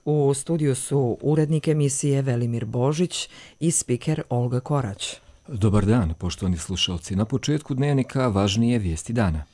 U studiju su urednik emisije Velimir Božić i spiker Olga Korać. Dobar dan, poštovani slušalci. Na početku dnevnika važnije vijesti dana.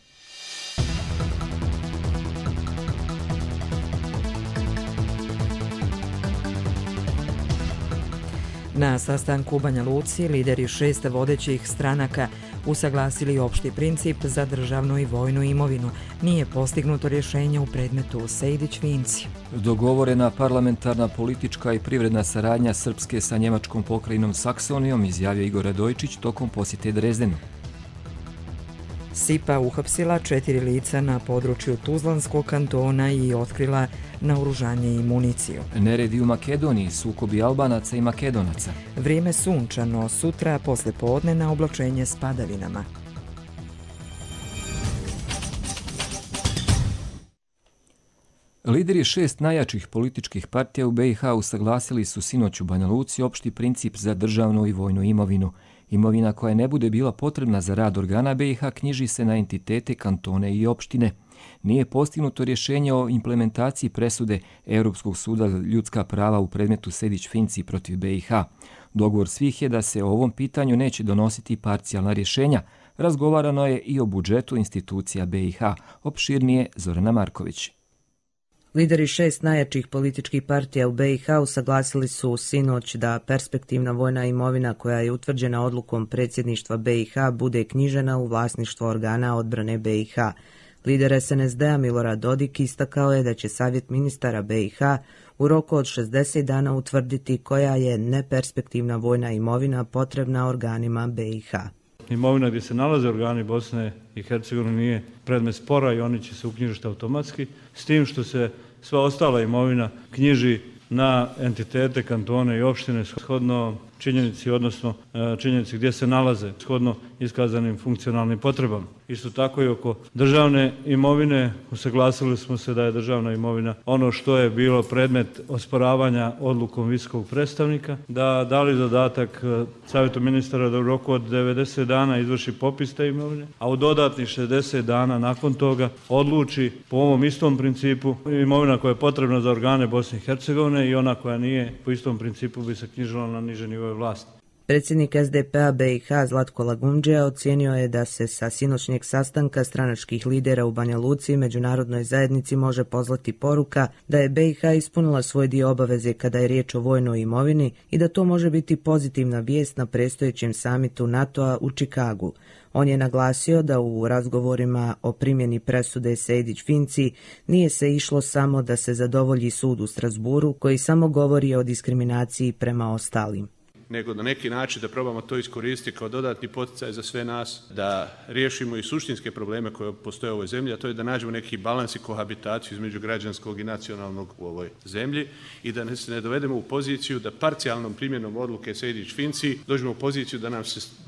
Na sastanku u Banja Luci lideri 6 vodećih stranaka usaglasili opšti princip za državnu i vojnu imovinu. Nije postignuto rješenje u predmetu Sejdić-Finci. Dogovorena parlamentarna politička i privredna saradnja Srpske sa njemačkom pokrajinom Saksonijom, izjavio Igor Radojičić tokom posjete Drezdenu. SIPA uhapsila 4 lica na području Tuzlanskog kantona i otkrila naoružanje i municiju. Neredi u Makedoniji, sukobi Albanaca i Makedonaca. Vrijeme sunčano, sutra posle podne na oblačenje s padavinama. Lideri 6 najjačih političkih partija u BiH usaglasili su sinoć u Banja Luci opšti princip za državnu i vojnu imovinu. Imovina koja ne bude bila potrebna za rad organa BiH knjiži se na entitete, kantone i opštine. Nije postignuto rješenje o implementaciji presude Europskog suda za ljudska prava u predmetu Sejdić-Finci protiv BiH. Dogovor svih je da se o ovom pitanju neće donositi parcijalna rješenja. Razgovarano je i o budžetu institucija BiH. Opširnije Zorana Marković. Lideri 6 najjačih političkih partija u BiH usaglasili su sinoć da perspektivna vojna imovina koja je utvrđena odlukom predsjedništva BiH bude knjižena u vlasništvo organa odbrane BiH. Lider SNSD-a Milorad Dodik istakao je da će Savjet ministara BiH u roku od 60 dana utvrditi koja je neperspektivna vojna imovina potrebna organima BiH. Imovina gdje se nalaze organi Bosne i Hercegovine nije predmet spora i oni će se uknjižiti automatski, s tim što se sva ostala imovina knjiži na entitete, kantone i opštine shodno činjenici, odnosno činjenici gdje se nalaze, shodno iskazanim funkcionalnim potrebama. Isto tako i oko državne imovine usaglasili smo se da je državna imovina ono što je bilo predmet osporavanja odlukom visokog predstavnika, da dali zadatak Savjetu ministara da u roku od 90 dana izvrši popis te imovine, a u dodatnih 60 dana nakon toga odluči po ovom istom principu imovina koja je potrebna za organe Bosne i Hercegovine i ona koja nije po istom principu bi se knjižila na niže nivoje vlasti. Predsjednik SDP-a BiH Zlatko Lagundžija ocijenio je da se sa sinoćnjeg sastanka stranačkih lidera u Banja Luci međunarodnoj zajednici može poslati poruka da je BiH ispunila svoj dio obaveze kada je riječ o vojnoj imovini i da to može biti pozitivna vijest na predstojećem samitu NATO-a u Čikagu. On je naglasio da u razgovorima o primjeni presude Sejdić-Finci nije se išlo samo da se zadovolji sud u Strasburu koji samo govori o diskriminaciji prema ostalim, nego na neki način da probamo to iskoristiti kao dodatni poticaj za sve nas, da riješimo i suštinske probleme koje postoje u ovoj zemlji, a to je da nađemo neki balans i kohabitaciju između građanskog i nacionalnog u ovoj zemlji i da se ne dovedemo u poziciju da parcijalnom primjenom odluke Sejdić-Finci dođemo u poziciju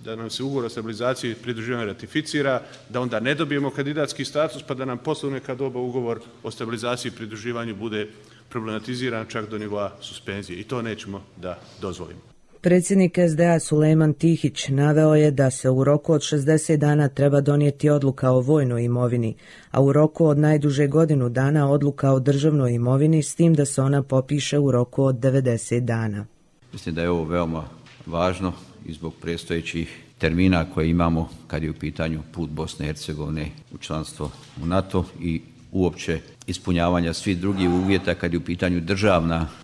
da nam se ugovor o stabilizaciji i pridruživanju ratificira, da onda ne dobijemo kandidatski status pa da nam posle neka doba ugovor o stabilizaciji i pridruživanju bude problematiziran čak do nivoa suspenzije i to nećemo da dozvolimo. Predsjednik SDA Sulejman Tihić naveo je da se u roku od 60 dana treba donijeti odluka o vojnoj imovini, a u roku od najduže godinu dana odluka o državnoj imovini s tim da se ona popiše u roku od 90 dana. Mislim da je ovo veoma važno i zbog predstojećih termina koje imamo kad je u pitanju put Bosne i Hercegovine u članstvo u NATO i uopće ispunjavanja svih drugih uvjeta kad je u pitanju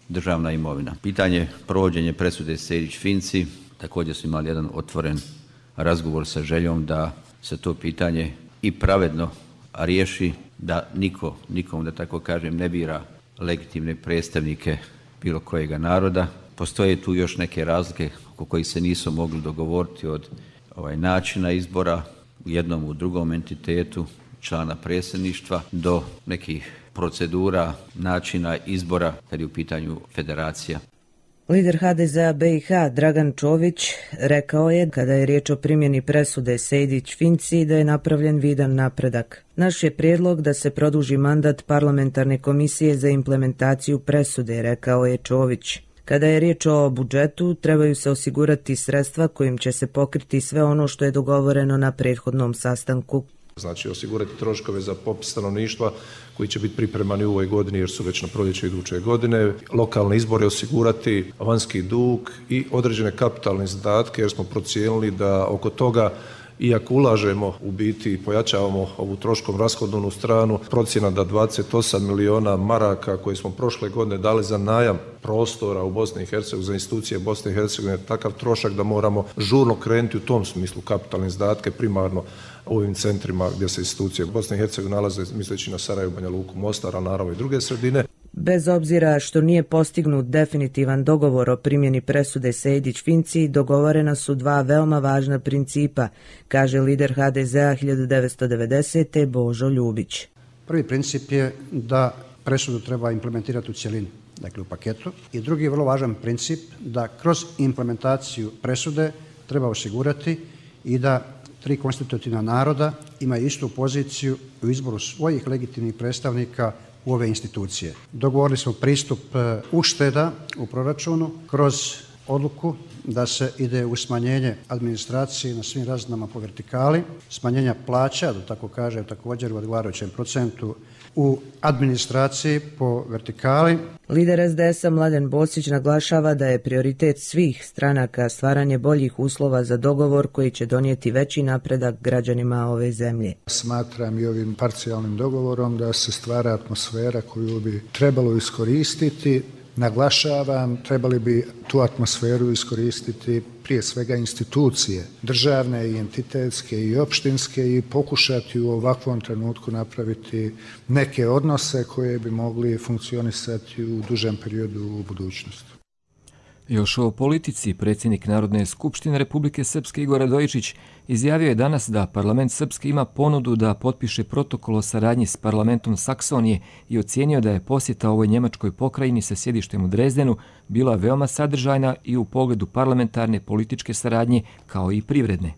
državna imovina. Pitanje provođenja presude Sejdić-Finci, također smo imali jedan otvoren razgovor sa željom da se to pitanje i pravedno riješi, da nikom da tako kažem ne bira legitimne predstavnike bilo kojega naroda. Postoje tu još neke razlike oko kojih se nisu mogli dogovoriti od načina izbora u jednom, u drugom entitetu, člana predsjedništva do nekih procedura, načina izbora kad je u pitanju federacija. Lider HDZ-a BiH Dragan Čović rekao je kada je riječ o primjeni presude Sejdić-Finci da je napravljen vidan napredak. Naš je prijedlog da se produži mandat parlamentarne komisije za implementaciju presude, rekao je Čović. Kada je riječ o budžetu, trebaju se osigurati sredstva kojim će se pokriti sve ono što je dogovoreno na prethodnom sastanku. Znači osigurati troškove za popis stanovništva koji će biti pripremani u ovoj godini jer su već na proljeće iduće godine, lokalne izbore osigurati, vanjski dug i određene kapitalne izdatke jer smo procijenili da oko toga iako ulažemo u biti i pojačavamo ovu troškom rashodovnu stranu, procjena da 28 miliona maraka koje smo prošle godine dali za najam prostora u Bosni i Hercegovini, za institucije Bosne i Hercegovine, takav trošak da moramo žurno krenuti u tom smislu kapitalne izdatke primarno u ovim centrima gdje se institucije Bosne i Hercegovine nalaze, misleći na Sarajevo, Banja Luku, Mostar, a naravno i druge sredine. Bez obzira što nije postignut definitivan dogovor o primjeni presude Sejdić-Finci, dogovorena su dva veoma važna principa, kaže lider HDZ-a 1990. Božo Ljubić. Prvi princip je da presudu treba implementirati u cjelini, dakle u paketu. I drugi vrlo važan princip da kroz implementaciju presude treba osigurati i da tri konstitutivna naroda imaju istu poziciju u izboru svojih legitimnih predstavnika u ove institucije. Dogovorili smo pristup ušteda u proračunu kroz odluku da se ide u smanjenje administracije na svim razinama po vertikali, smanjenja plaća, da tako kažem, također u odgovarajućem procentu u administraciji po vertikali. Lider SDS-a Mladen Bosić naglašava da je prioritet svih stranaka stvaranje boljih uslova za dogovor koji će donijeti veći napredak građanima ove zemlje. Smatram i ovim parcijalnim dogovorom da se stvara atmosfera koju bi trebalo iskoristiti. Naglašavam, trebali bi tu atmosferu iskoristiti prije svega institucije, državne i entitetske i opštinske i pokušati u ovakvom trenutku napraviti neke odnose koje bi mogli funkcionisati u dužem periodu u budućnosti. Još o politici predsjednik Narodne skupštine Republike Srpske Igor Radojičić izjavio je danas da parlament Srpske ima ponudu da potpiše protokol o saradnji s parlamentom Saksonije i ocijenio da je posjeta ovoj njemačkoj pokrajini sa sjedištem u Drezdenu bila veoma sadržajna i u pogledu parlamentarne političke saradnje kao i privredne.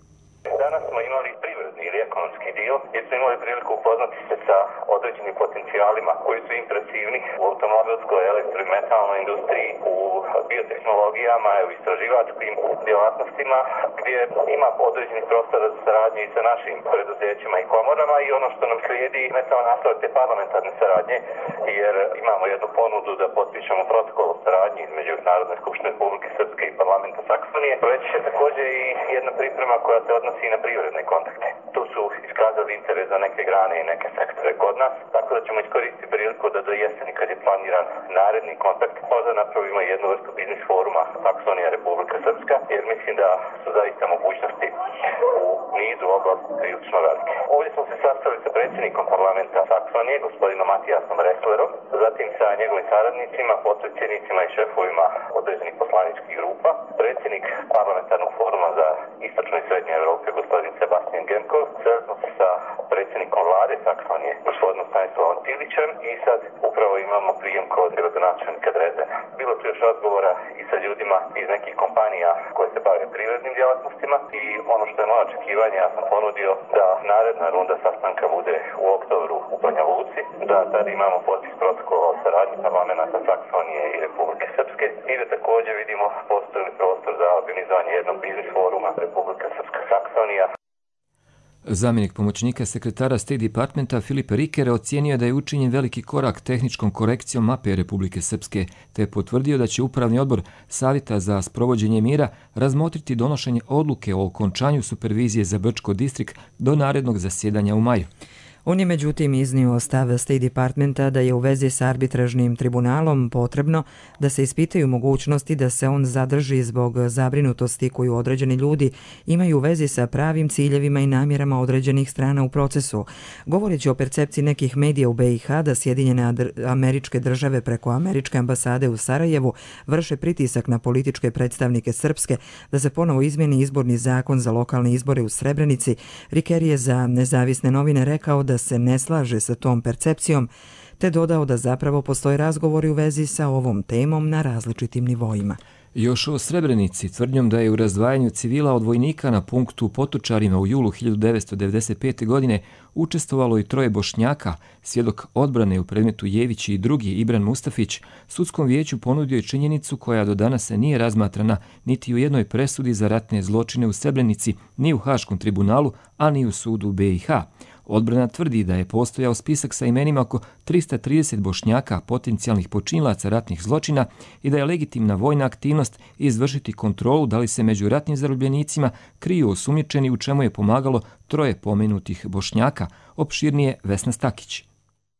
Danas smo imali privredni ili ekonomski dio jer smo imali priliku upoznati se sa određenim potencijalima koji su impresivni u automobilskoj, elektro- i metalnoj industriji, u biotehnologijama, u istraživačkim djelatnostima gdje ima određenih prostora za saradnje i sa našim preduzećima i komorama i ono što nam slijedi ne samo nastavak te parlamentarne saradnje jer imamo jednu ponudu da potpišemo protokol o saradnji između Narodne skupštine Republike Srpske i parlamenta Saksonije, već je također i jedna priprema koja se odnosi i na privredne kontakte. Tu su iskazali interes za neke grane i neke sektore kod nas, tako da ćemo iskoristiti priliku da do jeseni kad je planiran naredni kontakt možda napravimo jednu vrstu biznis foruma Saksonija Republika Srpska, jer mislim da su zaista mogućnosti u nizu oblasti prilično velike. Ovdje smo se sastali sa predsjednikom parlamenta Saksonije, gospodinom Matijasom Resslerom, zatim sa njegovim saradnicima, potpredsjednicima i šefovima određenih poslaničkih grupa, predsjednik parlamentarnog foruma za istočnu i srednju Evropu, gospodin Sebastian Genkov, sreli smo se sa predsjednikom vlade Saksonije, gospodinom Stanislavom Tilićem i sad upravo imamo prijem kod gradonačelnika Drezdena. Bilo tu još razgovora i sa ljudima iz nekih kompanija koje se bave privrednim djelatnostima i ono što je moje očekivanje, ja sam ponudio da naredna runda sastanka bude u oktobru u Banja Luci, da tada imamo potpis protokola o saradnji parlamenta Saksonije i Republike Srpske i da također vidimo postoji li prostor za organizovanje jednog biznis foruma Republika Srpska Saksonija. Zamjenik pomoćnika sekretara State Departmenta Filipe Rikere ocijenio da je učinjen veliki korak tehničkom korekcijom mape Republike Srpske, te je potvrdio da će Upravni odbor Savjeta za sprovođenje mira razmotriti donošenje odluke o okončanju supervizije za Brčko distrikt do narednog zasjedanja u maju. On je međutim iznio stav State Departmenta da je u vezi s arbitražnim tribunalom potrebno da se ispitaju mogućnosti da se on zadrži zbog zabrinutosti koju određeni ljudi imaju u vezi sa pravim ciljevima i namjerama određenih strana u procesu. Govoreći o percepciji nekih medija u BiH da Sjedinjene Američke Države preko Američke ambasade u Sarajevu vrše pritisak na političke predstavnike Srpske da se ponovo izmijeni izborni zakon za lokalne izbore u Srebrenici, Riker je za Nezavisne novine rekao da se ne slaže sa tom percepcijom, te dodao da zapravo postoje razgovori u vezi sa ovom temom na različitim nivoima. Još o Srebrenici, tvrdnjom da je u razdvajanju civila od vojnika na punktu u Potočarima u julu 1995. godine učestvovalo i 3 Bošnjaka, svjedok odbrane u predmetu Jević i drugi Ibran Mustafić, sudskom vijeću ponudio je činjenicu koja do danas nije razmatrana niti u jednoj presudi za ratne zločine u Srebrenici, ni u Haškom tribunalu, a ni u sudu BiH. Odbrana tvrdi da je postojao spisak sa imenima oko 330 Bošnjaka potencijalnih počinilaca ratnih zločina i da je legitimna vojna aktivnost izvršiti kontrolu da li se među ratnim zarobljenicima kriju osumnjičeni, u čemu je pomagalo 3 pomenutih Bošnjaka, opširnije Vesna Stakić.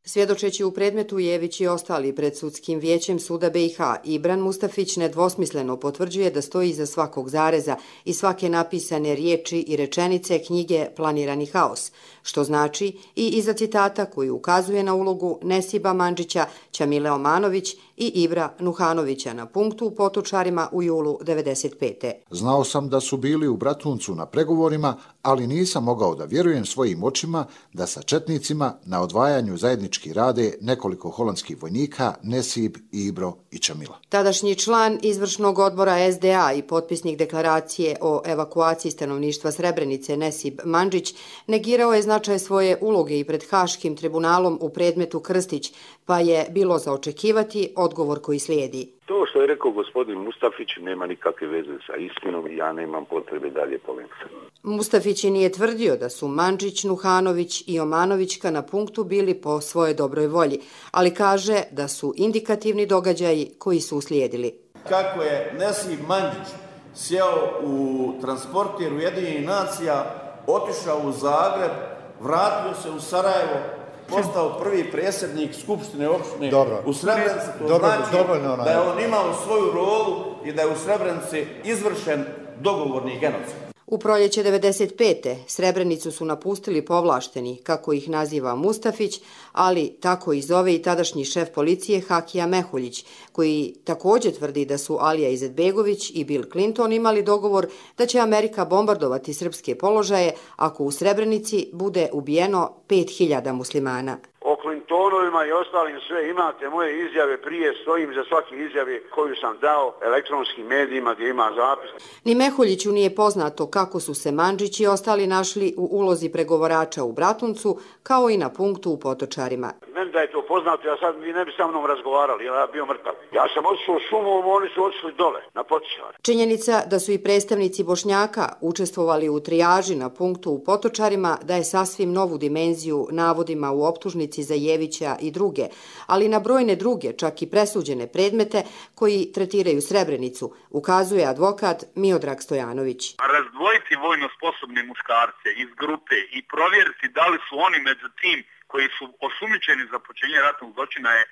Svjedočeći u predmetu Jević i ostali pred sudskim vijećem suda BiH, Ibran Mustafić nedvosmisleno potvrđuje da stoji iza svakog zareza i svake napisane riječi i rečenice knjige Planirani haos, što znači i iza citata koji ukazuje na ulogu Nesiba Mandžića, Ćamile Omanović i Ibra Nuhanovića na punktu u Potočarima u julu 1995. Znao sam da su bili u Bratuncu na pregovorima, ali nisam mogao da vjerujem svojim očima da sa četnicima na odvajanju zajednički rade nekoliko holandskih vojnika Nesib, Ibro i Ćamila. Tadašnji član izvršnog odbora SDA i potpisnik deklaracije o evakuaciji stanovništva Srebrenice Nesib Mandžić negirao je značaj svoje uloge i pred Haškim tribunalom u predmetu Krstić, pa je bilo za očekivati odgovor koji slijedi. To što je rekao gospodin Mustafić nema nikakve veze sa istinom i ja nemam potrebe dalje polemizati. Mustafić nije tvrdio da su Mandžić, Nuhanović i Omanovićka na punktu bili po svojoj dobroj volji, ali kaže da su indikativni događaji koji su uslijedili. Kako je Nesib Mandžić sjeo u transporter Ujedinjenih nacija, otišao u Zagreb, vratio se u Sarajevo, postao prvi predsjednik Skupštine opštine u Srebrenici, to znači da je on imao svoju rolu i da je u Srebrenici izvršen dogovorni genocid. U proljeće 1995. Srebrenicu su napustili povlašteni, kako ih naziva Mustafić, ali tako i zove i tadašnji šef policije Hakija Mehuljić, koji također tvrdi da su Alija Izetbegović i Bill Clinton imali dogovor da će Amerika bombardovati srpske položaje ako u Srebrenici bude ubijeno 5000 muslimana. O Clintonovima i ostalim sve imate moje izjave prije, stojim za svake izjave koju sam dao elektronskim medijima gdje ima zapis. Ni Mehuljiću nije poznato kako su se Mandžić i ostali našli u ulozi pregovorača u Bratuncu, kao i na punktu u Potočarima. Meni da je to poznato, ja sad vi ne bi sa mnom razgovarali, ja bio mrtav. Ja sam otišao šumom, oni su otišli dole, na Potočare. Činjenica da su i predstavnici Bošnjaka učestvovali u trijaži na punktu u Potočarima daje sasvim novu dimenziju navodima u optužnici za Jevića i druge, ali na brojne druge, čak i presuđene predmete koji tretiraju Srebrenicu, ukazuje advokat Miodrag Stojanović. Razdvojiti vojno sposobne muškarce iz grupe i provjeriti da li su oni među tim koji su osumnjičeni za počinjenje ratnog zločina je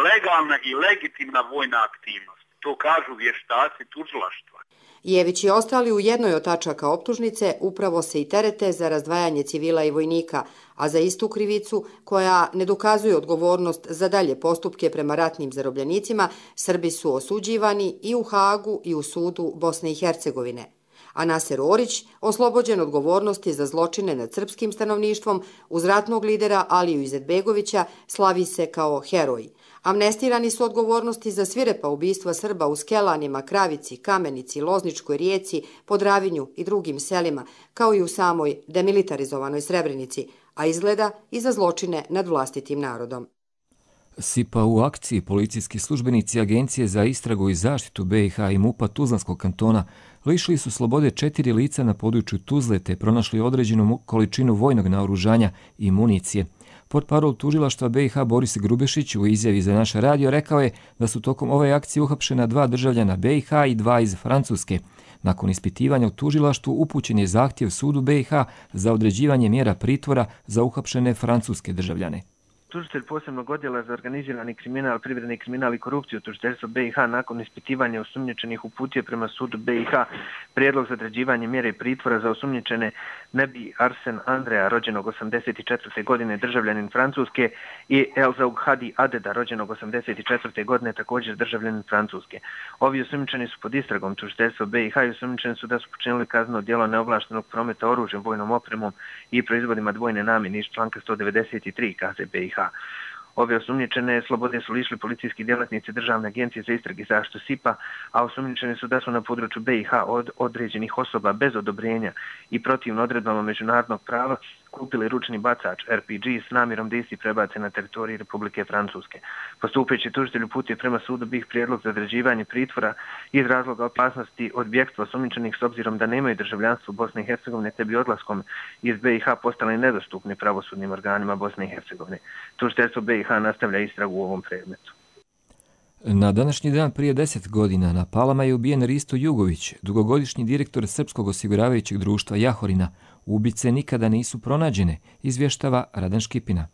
legalna i legitimna vojna aktivnost. To kažu vještaci tužilaštva. Jević i ostali u jednoj od tačaka optužnice upravo se i terete za razdvajanje civila i vojnika, a za istu krivicu, koja ne dokazuje odgovornost za dalje postupke prema ratnim zarobljenicima, Srbi su osuđivani i u Hagu i u sudu Bosne i Hercegovine. A Naser Orić, oslobođen odgovornosti za zločine nad srpskim stanovništvom, uz ratnog lidera Aliju Izetbegovića, slavi se kao heroj. Amnestirani su odgovornosti za svirepa ubistva Srba u Skelanima, Kravici, Kamenici, Lozničkoj Rijeci, Podravinju i drugim selima, kao i u samoj demilitarizovanoj Srebrenici, a izgleda i za zločine nad vlastitim narodom. SIPA u akciji policijski službenici Agencije za istragu i zaštitu BiH i MUP-a Tuzlanskog kantona lišili su slobode 4 lica na području Tuzle te pronašli određenu količinu vojnog naoružanja i municije. Portparol tužilaštva BiH Boris Grubešić u izjavi za naš radio rekao je da su tokom ove akcije uhapšena 2 državljana BiH i 2 iz Francuske. Nakon ispitivanja u tužilaštvu upućen je zahtjev sudu BiH za određivanje mjera pritvora za uhapšene francuske državljane. Tužitelj posebnog odjela za organizirani kriminal, privredni kriminal i korupciju tužiteljstva BiH nakon ispitivanja osumnjičenih uputio prema sudu BiH prijedlog za određivanje mjere pritvora za osumnjičene Nebi Arsen Andreja, rođenog 84. godine, državljanin Francuske, i Elzaug Hadi Adeda, rođenog 84. godine, također državljanin Francuske. Ovi osumnjičeni su pod istragom tužiteljstva BiH i osumnjičeni su da su počinili kazneno djelo neovlaštenog prometa oružjem, vojnom opremom i proizvodima dvojne namjene iz članka 193 KZ BiH. Ove osumnjičene slobode su lišili policijski djelatnici Državne agencije za istrage i zaštitu SIPA, a osumnjičeni su da su na području BiH od određenih osoba bez odobrenja i protivno odredbama međunarodnog prava kupili ručni bacač RPG s namjerom da isti prebace na teritoriji Republike Francuske. Postupajući tužitelj uputio prema sudu BiH prijedlog za određivanje pritvora iz razloga opasnosti od bjegstva osumnjičenih s obzirom da nemaju državljanstvo Bosne i Hercegovine te bi odlaskom iz BiH postali nedostupni pravosudnim organima Bosne i Hercegovine. Tužiteljstvo BiH nastavlja istragu u ovom predmetu. Na današnji dan prije 10 godina na Palama je ubijen Risto Jugović, dugogodišnji direktor Srpskog osiguravajućeg društva Jahorina. Ubice nikada nisu pronađene, izvještava Radan Škipina.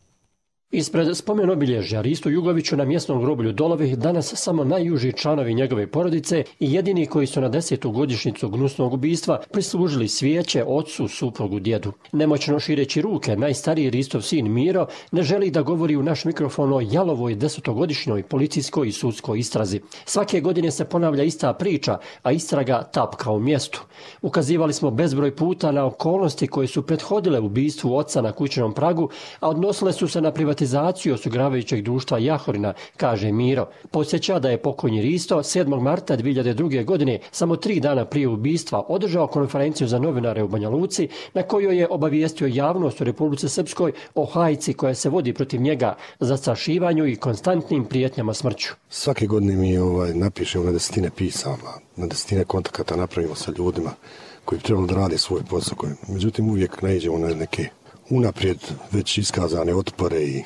Ispred spomen obilježja Ristu Jugoviću na mjesnom groblju Dolovi danas samo najuži članovi njegove porodice i jedini koji su na 10. godišnjicu gnusnog ubistva prislužili svijeće ocu, suprugu, djedu. Nemoćno šireći ruke, najstariji Ristov sin Miro ne želi da govori u naš mikrofon o jalovoj 10-godišnjoj policijskoj i sudskoj istrazi. Svake godine se ponavlja ista priča, a istraga tapka u mjestu. Ukazivali smo bezbroj puta na okolnosti koje su prethodile ubistvu oca na kućnom pragu, a odnosile su se na privatizaciju osiguravajućeg društva Jahorina, kaže Miro. Podsjeća da je pokojni Risto 7. marta 2002. godine, samo 3 dana prije ubistva, održao konferenciju za novinare u Banja Luci, na kojoj je obavijestio javnost u Republici Srpskoj o hajci koja se vodi protiv njega, zastrašivanju i konstantnim prijetnjama smrću. Svake godine mi napišemo na 10 pisama, na 10 kontakata napravimo sa ljudima koji bi trebalo da rade svoj posao. Međutim, uvijek naiđemo na neke unaprijed već iskazane otpore i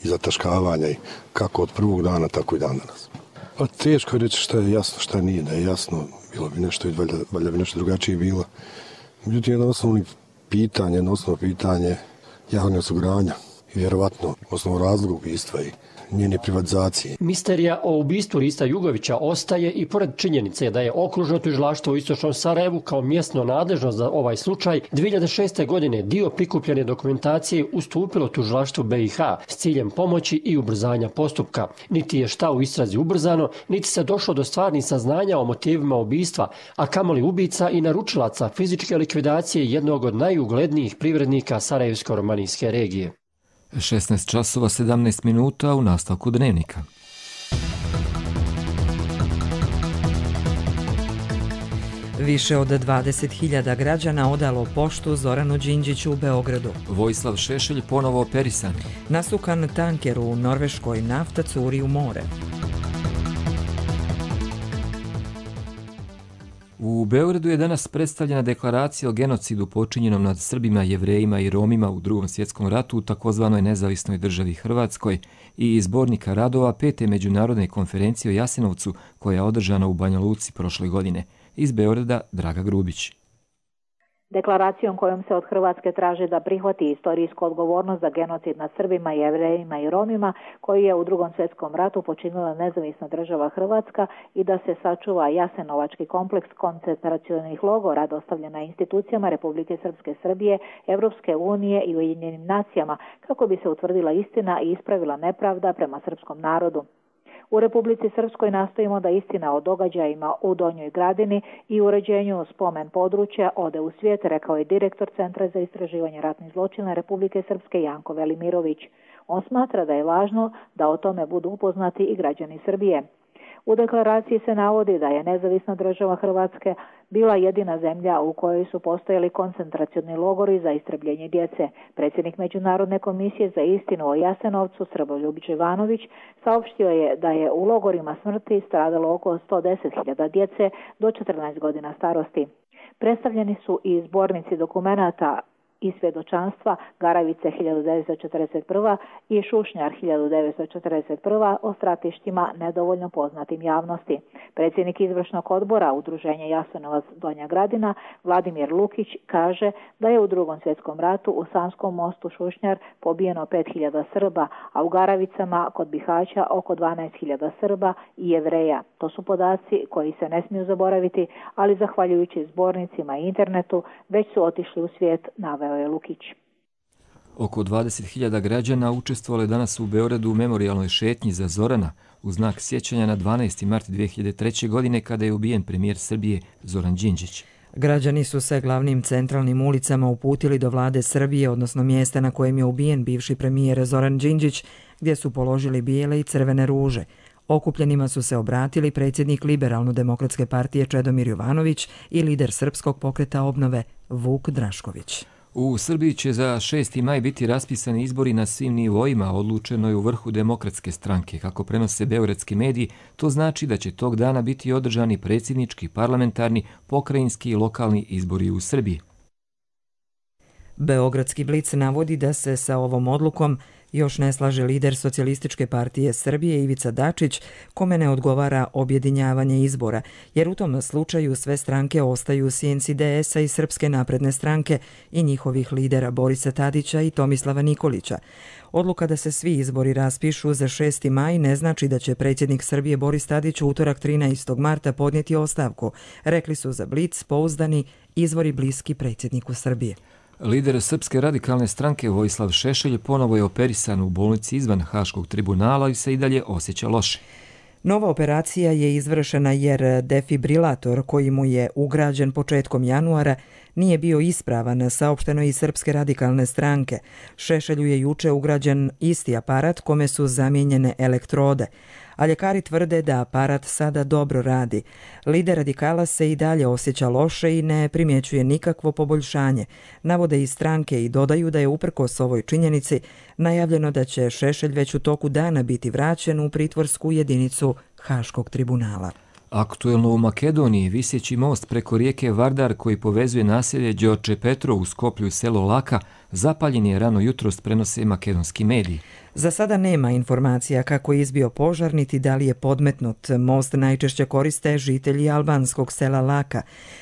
zataškavanja i kako od prvog dana, tako i dan danas. Pa teško je reći šta je jasno, šta nije. Da je jasno, bilo bi nešto i valjda bi nešto drugačije bilo. Međutim, jedno osnovno pitanje Jahorina osiguranja i vjerovatno osnovno razlog ubistva i njene privatizacije. Misterija o ubistvu Rista Jugovića ostaje i pored činjenice da je okružno tužilaštvo u istočnom Sarajevu kao mjesno nadležno za ovaj slučaj 2006. godine dio prikupljene dokumentacije ustupilo tužilaštvu BiH s ciljem pomoći i ubrzanja postupka. Niti je šta u istrazi ubrzano, niti se došlo do stvarnih saznanja o motivima ubistva, a kamoli ubica i naručilaca fizičke likvidacije jednog od najuglednijih privrednika Sarajevsko-romanijske regije. 16 časova 17 minuta u nastavku dnevnika. Više od 20.000 građana odalo poštu Zoranu Đinđiću u Beogradu. Vojislav Šešelj ponovo operisan. Nasukan tanker u Norveškoj, nafta curi u more. U Beogradu je danas predstavljena deklaracija o genocidu počinjenom nad Srbima, Jevrejima i Romima u Drugom svjetskom ratu u takozvanoj nezavisnoj državi Hrvatskoj i izbornika radova 5. međunarodne konferencije o Jasenovcu koja je održana u Banja Luci prošle godine. Iz Beograda Draga Grubić. Deklaracijom kojom se od Hrvatske traži da prihvati istorijsku odgovornost za genocid nad Srbima, Jevrejima i Romima koji je u Drugom svjetskom ratu počinila nezavisna država Hrvatska i da se sačuva Jasenovački kompleks koncentracionih logora dostavljena institucijama Republike Srpske Srbije, Evropske unije i Ujedinjenim nacijama kako bi se utvrdila istina i ispravila nepravda prema srpskom narodu. U Republici Srpskoj nastojimo da istina o događajima u Donjoj Gradini i uređenju spomen područja ode u svijet, rekao je direktor Centra za istraživanje ratnih zločina Republike Srpske Janko Velimirović. On smatra da je važno da o tome budu upoznati i građani Srbije. U deklaraciji se navodi da je nezavisna država Hrvatske bila jedina zemlja u kojoj su postojali koncentracioni logori za istrebljenje djece. Predsjednik Međunarodne komisije za istinu o Jasenovcu Srboljub Ivanović saopštio je da je u logorima smrti stradalo oko 110.000 djece do 14 godina starosti. Predstavljeni su i zbornici dokumenata i svjedočanstva Garavice 1941. i Šušnjar 1941. o stratištima nedovoljno poznatim javnosti. Predsjednik izvršnog odbora Udruženja Jasenovac Donja Gradina Vladimir Lukić kaže da je u Drugom svjetskom ratu u Sanskom mostu Šušnjar pobijeno 5.000 Srba, a u Garavicama kod Bihaća oko 12.000 Srba i Jevreja. To su podaci koji se ne smiju zaboraviti, ali zahvaljujući zbornicima i internetu već su otišli u svijet, naveo je Lukić. Oko 20.000 građana učestvovalo je danas u Beogradu u memorijalnoj šetnji za Zorana u znak sjećanja na 12. mart 2003. godine kada je ubijen premijer Srbije Zoran Đinđić. Građani su se glavnim centralnim ulicama uputili do vlade Srbije, odnosno mjesta na kojem je ubijen bivši premijer Zoran Đinđić, gdje su položili bijele i crvene ruže. Okupljenima su se obratili predsjednik Liberalno-demokratske partije Čedomir Jovanović i lider Srpskog pokreta obnove Vuk Drašković. U Srbiji će za 6. maj biti raspisani izbori na svim nivoima, odlučeno je u vrhu Demokratske stranke. Kako prenose beogradski mediji, to znači da će tog dana biti održani predsjednički, parlamentarni, pokrajinski i lokalni izbori u Srbiji. Beogradski Blic navodi da se sa ovom odlukom još ne slaže lider Socijalističke partije Srbije Ivica Dačić, kome ne odgovara objedinjavanje izbora, jer u tom slučaju sve stranke ostaju u sjenci DS-a i Srpske napredne stranke i njihovih lidera Borisa Tadića i Tomislava Nikolića. Odluka da se svi izbori raspišu za 6. maj ne znači da će predsjednik Srbije Boris Tadić u utorak 13. marta podnijeti ostavku, rekli su za Blic pouzdani izvori bliski predsjedniku Srbije. Lider Srpske radikalne stranke Vojislav Šešelj ponovo je operisan u bolnici izvan Haškog tribunala i se i dalje osjeća loše. Nova operacija je izvršena jer defibrilator koji mu je ugrađen početkom januara nije bio ispravan, saopšteno iz Srpske radikalne stranke. Šešelju je juče ugrađen isti aparat kome su zamijenjene elektrode, a ljekari tvrde da aparat sada dobro radi. Lider radikala se i dalje osjeća loše i ne primjećuje nikakvo poboljšanje. Navode iz stranke i dodaju da je uprkos ovoj činjenici najavljeno da će Šešelj već u toku dana biti vraćen u pritvorsku jedinicu Haškog tribunala. Aktuelno u Makedoniji viseći most preko rijeke Vardar koji povezuje naselje Đorđe Petro u Skoplju i selo Laka zapaljen je rano jutros, prenose makedonski mediji. Za sada nema informacija kako je izbio požar niti da li je podmetnut. Most najčešće koriste žitelji albanskog sela Laka.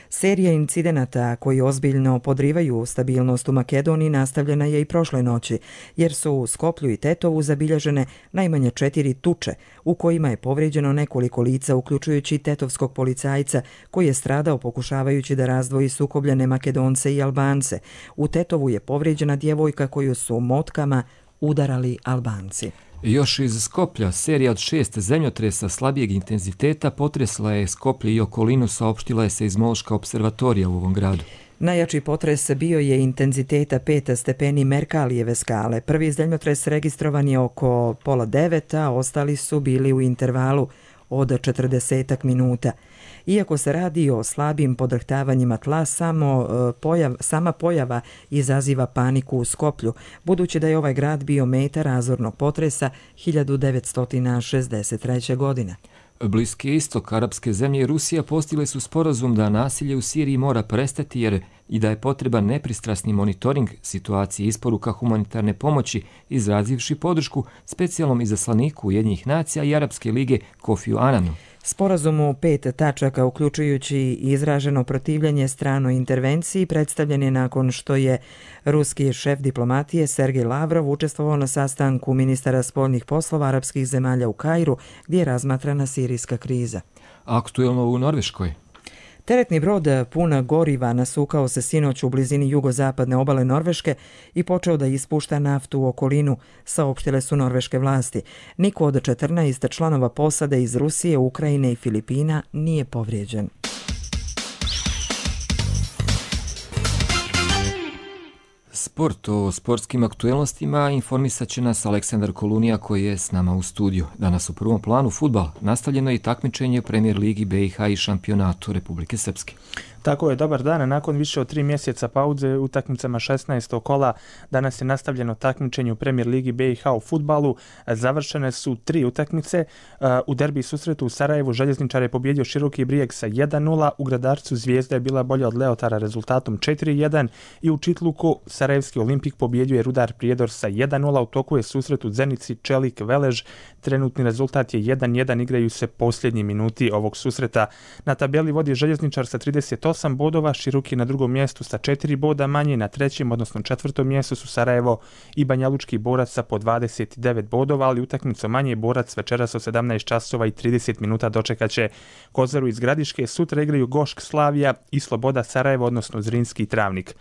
Serija incidenata koji ozbiljno podrivaju stabilnost u Makedoniji nastavljena je i prošle noći, jer su u Skoplju i Tetovu zabilježene najmanje 4 tuče, u kojima je povrijeđeno nekoliko lica, uključujući tetovskog policajca koji je stradao pokušavajući da razdvoji sukobljene Makedonce i Albance. U Tetovu je povrijeđena djevojka koju su motkama udarali Albanci. Još iz Skoplja, serija od 6 zemljotresa slabijeg intenziteta potresla je Skoplje i okolinu, saopštila je seizmološka observatorija u ovom gradu. Najjači potres bio je intenziteta 5 stepeni Merkalijeve skale. Prvi zemljotres registrovan je oko 8:30, a ostali su bili u intervalu od 40 minuta. Iako se radi o slabim podrhtavanjima tla, sama pojava izaziva paniku u Skoplju, budući da je ovaj grad bio meta razornog potresa 1963. godine. Bliski istok, arapske zemlje i Rusija postigle su sporazum da nasilje u Siriji mora prestati jer i da je potreban nepristrasni monitoring situacije isporuka humanitarne pomoći, izrazivši podršku specijalnom izaslaniku Ujedinjenih nacija i Arapske lige Kofiju Ananu. Sporazum u 5 tačaka, uključujući izraženo protivljenje stranoj intervenciji, predstavljen je nakon što je ruski šef diplomatije Sergej Lavrov učestvovao na sastanku ministara spoljnih poslova arapskih zemalja u Kairu, gdje je razmatrana sirijska kriza. Aktuelno u Norveškoj. Teretni brod pun goriva nasukao se sinoć u blizini jugozapadne obale Norveške i počeo da ispušta naftu u okolinu, saopštile su norveške vlasti. Niko od 14 članova posade iz Rusije, Ukrajine i Filipina nije povrijeđen. Sport. O sportskim aktuelnostima informisat će nas Aleksandar Kolunija koji je s nama u studiju. Danas u prvom planu fudbal. Nastavljeno je i takmičenje u Premier ligi BiH i šampionatu Republike Srpske. Tako je, dobar dan. Nakon više od 3 mjeseca pauze utakmicama 16. kola danas je nastavljeno takmičenje u Premier ligi BiH u fudbalu. Završene su 3 utakmice. U derbi susretu u Sarajevu Željezničar je pobjedio Široki Brijeg sa 1:0. U Gradarcu Zvijezda je bila bolja od Leotara rezultatom 4:1 i u Čitluku Sarajevski Olimpik pobjedio je Rudar Prijedor sa 1:0. U toku je susret u Zenici Čelik Velež. Trenutni rezultat je 1:1. Igraju se posljednji minuti ovog susreta. Na tabeli vodi Željezničar sa 38 bodova, Široki na drugom mjestu sa 4 boda manje, na trećem, odnosno 4. mjestu su Sarajevo i Banjalučki Borac sa po 29 bodova, ali utakmicu manje Borac večeras od 17 časova i 30 minuta dočekaće Kozaru iz Gradiške. Sutra igraju Gošk Slavija i Sloboda Sarajevo, odnosno Zrinski Travnik.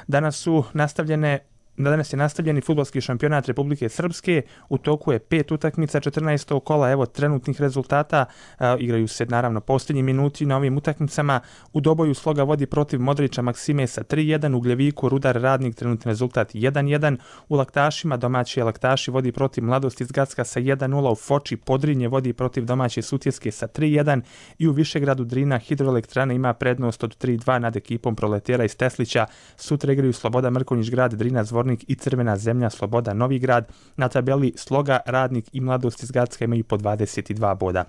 Danas su nastavljene Danas je nastavljeni fudbalski šampionat Republike Srpske, u toku je 5 utakmica 14. kola, evo trenutnih rezultata, igraju se naravno posljednji minuti na ovim utakmicama. U Doboju Sloga vodi protiv Modrića Maksime sa 3-1, u Gljeviku Rudar Radnik trenutni rezultat 1-1, u Laktašima domaći Laktaši vodi protiv Mladosti iz Gacka sa 1-0, u Foči Podrinje vodi protiv domaće Sutjeske sa 3-1 i u Višegradu Drina Hidroelektrana ima prednost od 3-2 nad ekipom Proletera iz Teslića. Sutra igraju Sloboda Mrkonjić Grad, Drina Zvornik i Crvena Zemlja Sloboda Novi Grad. Na tabeli Sloga, Radnik i Mladost iz Gacka imaju po 22 boda.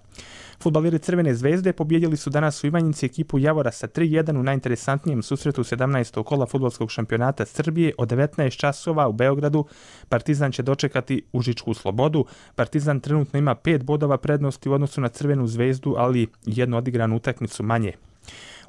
Fudbaleri Crvene zvezde pobjedili su danas u Ivanjici ekipu Javora sa 3-1 u najinteresantnijem susretu 17. kola fudbalskog šampionata Srbije od 19 časova u Beogradu. Partizan će dočekati Užičku Slobodu. Partizan trenutno ima 5 bodova prednosti u odnosu na Crvenu zvezdu, ali jednu odigranu utakmicu manje.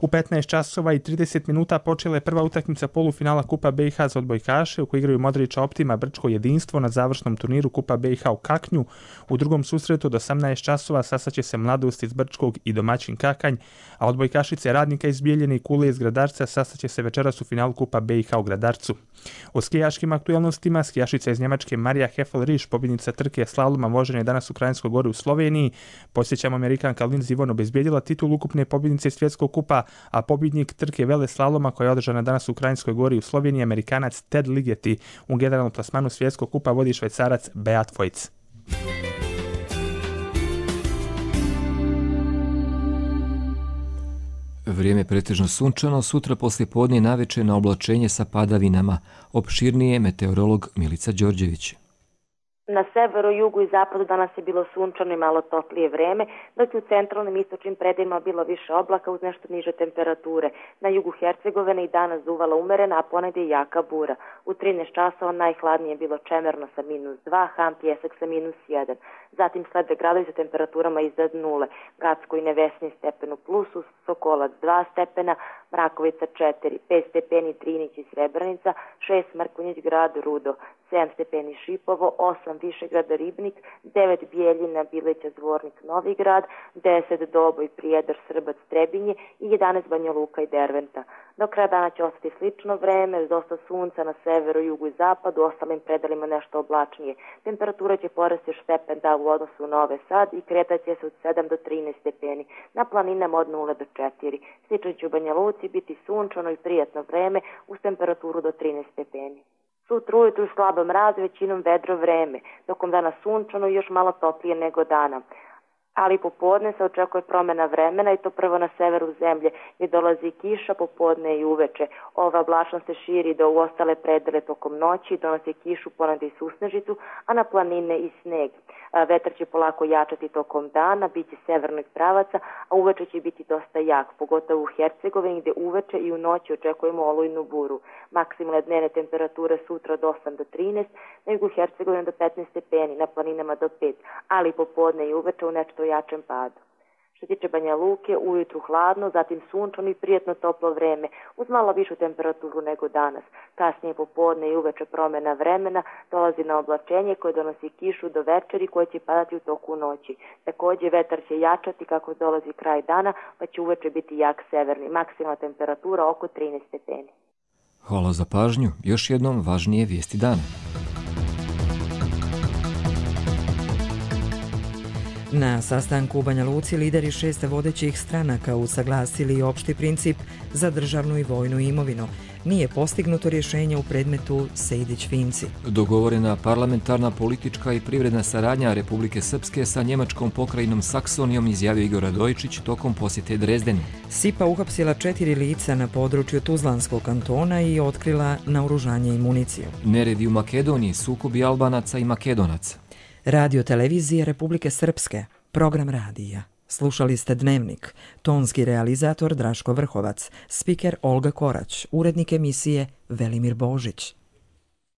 U 15 časova i 30 minuta počela je prva utakmica polufinala Kupa BiH za odbojkaše u kojoj igraju Modrića Optima Brčko jedinstvo na završnom turniru Kupa BiH u Kaknju. U drugom susretu od 18 časova sastaće se Mladost iz Brčkog i domaćin Kakanj, a odbojkašice Radnika iz Bijeljine i Kule iz Gradarca sastaće se večeras u finalu Kupa BiH u Gradarcu. O skijaškim aktualnostima skijašica iz Njemačke Marija Hefel-Riš, pobjednica trke slaloma vožene danas u Krajinskoj Gori u Sloveniji. Podsjećamo, Amerikanka Lindsey Vonn obezbijedila titul ukupne pobjednice svjetskog kupa, a pobjednik trke vele slaloma koja je održana danas u Krajinskoj Gori u Sloveniji, Amerikanac Ted Ligeti. U generalnom plasmanu svjetskog kupa vodi Švajcarac Beat Voigt. Vrijeme pretežno sunčano, sutra poslije podne naveče na oblačenje sa padavinama. Opširnije meteorolog Milica Đorđević. Na severu, jugu i zapadu danas je bilo sunčano i malo toplije vreme, dok je u centralnim istočnim predelima bilo više oblaka uz nešto niže temperature. Na jugu Hercegovine i danas duvala umerena, a ponegdje je jaka bura. U 13 časova najhladnije je bilo Čemerno sa -2, Ham Pjesak sa -1. Zatim slede gradovi sa temperaturama iznad nule. Gacko i Nevesni stepen u plusu, Sokolac 2 stepena, Mrakovica 4, 5 stepeni Trinić i Srebrenica, 6 Mrkonjić Grad, Rudo, 7 stepeni Šipovo, 8 Višegrada Ribnik, 9 Bijeljina, Bileća, Zvornik, Novi Grad, 10 Doboj, Prijedor, Srbac, Trebinje i 11 Banja Luka i Derventa. Do kraja dana će ostati slično vreme, dosta sunca na severu, jugu i zapadu, ostalim predelima nešto oblačnije. Temperatura će porasti još stepen u odnosu na Novi Sad i kretaće se od 7 do 13 stepeni, na planinama od 0 do 4. Slično će u Banja Luci biti sunčano i prijatno vreme uz temperaturu do 13 stepeni. Sutra ujutru slabo mraz, većinom vedro vreme, tokom dana sunčano i još malo toplije nego dana. Ali popodne se očekuje promjena vremena i to prvo na severu zemlje gdje dolazi kiša popodne i uveče. Ova oblačnost se širi do u ostale predele tokom noći, donosi kišu, ponegdje i susnežicu, a na planine i sneg. Vetar će polako jačati tokom dana, bit će severnog pravaca, a uveče će biti dosta jak, pogotovo u Hercegovini gdje uveče i u noći očekujemo olujnu buru. Maksimalne dnevne temperature sutra od 8 do 13, na jugu Hercegovine do 15 stepeni, na planinama do 5, ali popodne i uveče u nešto jačem padu. Što tiče Banja Luke, ujutru hladno, zatim sunčano i prijatno toplo vreme, uz malo višu temperaturu nego danas. Kasnije popodne i uveče promjena vremena, dolazi na oblačenje koje donosi kišu do večeri koje će padati u toku noći. Također vetar će jačati kako dolazi kraj dana, pa će uveče biti jak severni. Maksimalna temperatura oko 13 stepeni. Hvala za pažnju. Još jednom važnije vijesti dana. Na sastanku u Banja Luci lideri 6 vodećih stranaka usaglasili opšti princip za državnu i vojnu imovinu. Nije postignuto rješenje u predmetu Sejdić-Finci. Dogovorena parlamentarna politička i privredna saradnja Republike Srpske sa njemačkom pokrajinom Saksonijom, izjavio Igor Radojičić tokom posjete Drezdenu. SIPA uhapsila 4 lica na području Tuzlanskog kantona i otkrila naoružanje i municiju. Neredi u Makedoniji, sukobi Albanaca i Makedonaca. Radio televizije Republike Srpske, program radija. Slušali ste Dnevnik, tonski realizator Draško Vrhovac, spiker Olga Korać, urednik emisije Velimir Božić.